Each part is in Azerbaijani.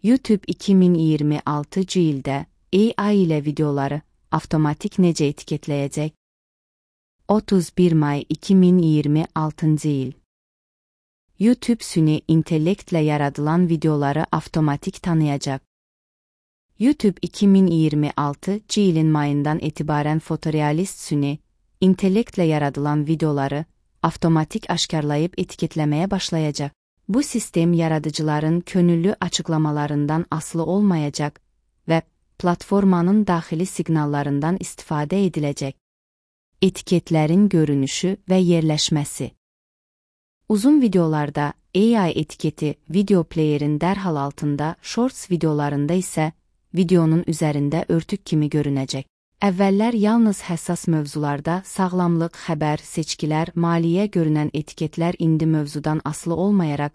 YouTube 2026 ildə AI ilə videoları avtomatik necə etiketləyəcək? 31 may 2026 il. YouTube süni intellektlə yaradılan videoları avtomatik tanıyacaq. YouTube 2026 ilin mayından etibarən fotorealist süni intellektlə yaradılan videoları avtomatik aşkarlayıb etiketləməyə başlayacaq. Bu sistem yaradıcıların könüllü açıqlamalarından asılı olmayacaq və platformanın daxili siqnallarından istifadə ediləcək. Etiketlərin görünüşü və yerləşməsi. Uzun videolarda AI etiketi video playerin dərhal altında, Shorts videolarında isə videonun üzərində örtük kimi görünəcək. Əvvəllər yalnız həssas mövzularda sağlamlıq, xəbər, seçkilər, maliyyə görünən etiketlər indi mövzudan asılı olmayaraq,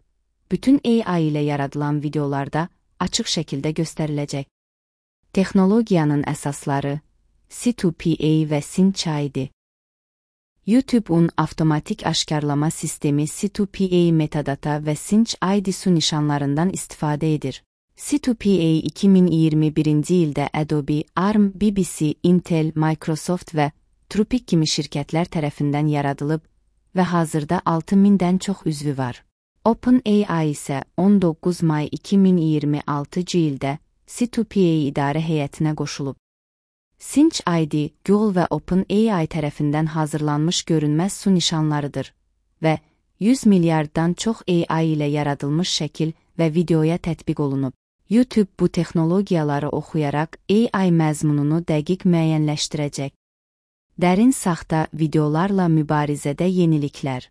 bütün AI ilə yaradılan videolarda açıq şəkildə göstəriləcək. Texnologiyanın əsasları, C2PA və Cinch ID. YouTube-un avtomatik aşkarlama sistemi C2PA metadata və Cinch ID su nişanlarından istifadə edir. C2PA 2021-ci ildə Adobe, ARM, BBC, Intel, Microsoft və Trupic kimi şirkətlər tərəfindən yaradılıb və hazırda 6000-dən çox üzvü var. OpenAI isə 19 may 2026 ildə C2PA idarə heyətinə qoşulub. Cinch ID, Google və OpenAI tərəfindən hazırlanmış görünməz su nişanlarıdır və 100 milyarddan çox AI ilə yaradılmış şəkil və videoya tətbiq olunub. YouTube bu texnologiyaları oxuyaraq AI məzmununu dəqiq müəyyənləşdirəcək. Dərin saxta videolarla mübarizədə yeniliklər.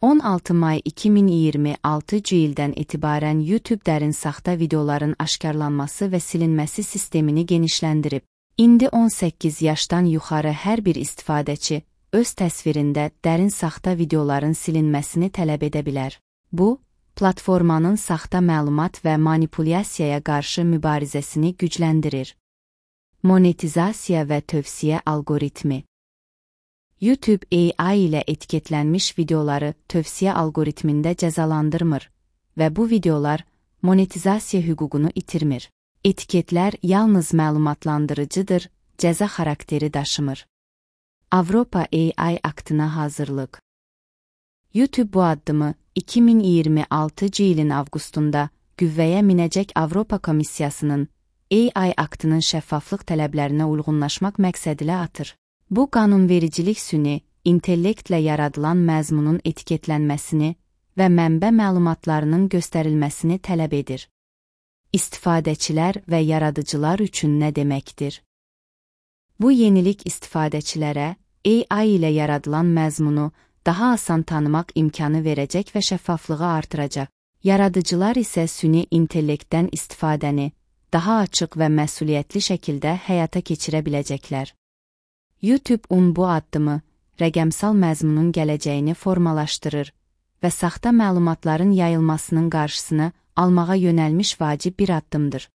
16 may 2026 ildən etibarən YouTube dərin saxta videoların aşkarlanması və silinməsi sistemini genişləndirib. İndi 18 yaşdan yuxarı hər bir istifadəçi öz təsvirində dərin saxta videoların silinməsini tələb edə bilər. Bu, platformanın saxta məlumat və manipulyasiyaya qarşı mübarizəsini gücləndirir. Monetizasiya və tövsiyə alqoritmi. YouTube AI ilə etiketlənmiş videoları tövsiyə alqoritmində cəzalandırmır və bu videolar monetizasiya hüququnu itirmir. Etiketlər yalnız məlumatlandırıcıdır, cəza xarakteri daşımır. Avropa AI aktına hazırlıq. YouTube bu addımı 2026 ilin avqustunda qüvvəyə minəcək Avropa Komissiyasının AI aktının şəffaflıq tələblərinə uyğunlaşmaq məqsədilə atır. Bu qanunvericilik süni, intellektlə yaradılan məzmunun etiketlənməsini və mənbə məlumatlarının göstərilməsini tələb edir. İstifadəçilər və yaradıcılar üçün nə deməkdir? Bu yenilik istifadəçilərə AI ilə yaradılan məzmunu daha asan tanımaq imkanı verəcək və şəffaflığı artıracaq. Yaradıcılar isə süni intellektdən istifadəni daha açıq və məsuliyyətli şəkildə həyata keçirə biləcəklər. YouTube-un bu addımı rəqəmsal məzmunun gələcəyini formalaşdırır və saxta məlumatların yayılmasının qarşısını almağa yönəlmiş vacib bir addımdır.